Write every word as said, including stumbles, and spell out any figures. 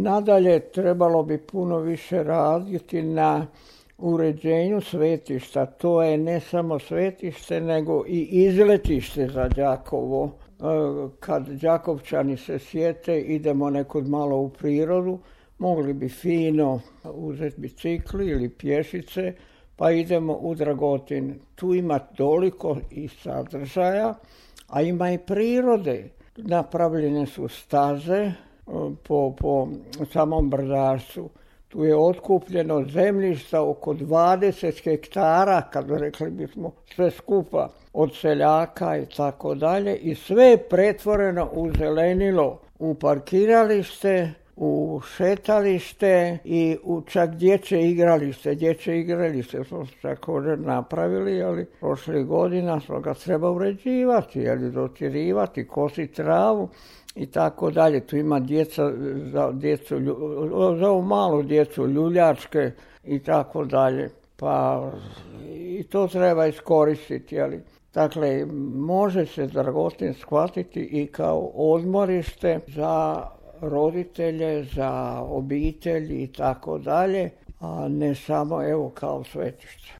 Nadalje, trebalo bi puno više raditi na uređenju svetišta. To je ne samo svetište, nego i izletište za Đakovo. Kad Đakovčani se sjete, idemo nekud malo u prirodu, mogli bi fino uzeti bicikli ili pješice, pa idemo u Dragotin. Tu ima toliko i sadržaja, a ima i prirode. Napravljene su staze po, po samom brdašcu. Tu je otkupljeno zemljišta oko dvadeset hektara, kad rekli bismo sve skupa, od seljaka i tako dalje. I sve je pretvoreno u zelenilo, u parkiralište, u šetalište i u čak dječje igralište. Dječje igralište smo također napravili, ali prošlih godina smo ga treba uređivati, ali dotirivati, kositi travu i tako dalje. Tu ima djeca za djecu, za ovu malu djecu, ljuljačke i tako dalje. Pa i to treba iskoristiti, ali dakle, može se Dragotin shvatiti i kao odmorište za roditelje, za obitelji i tako dalje, a ne samo evo kao svetište.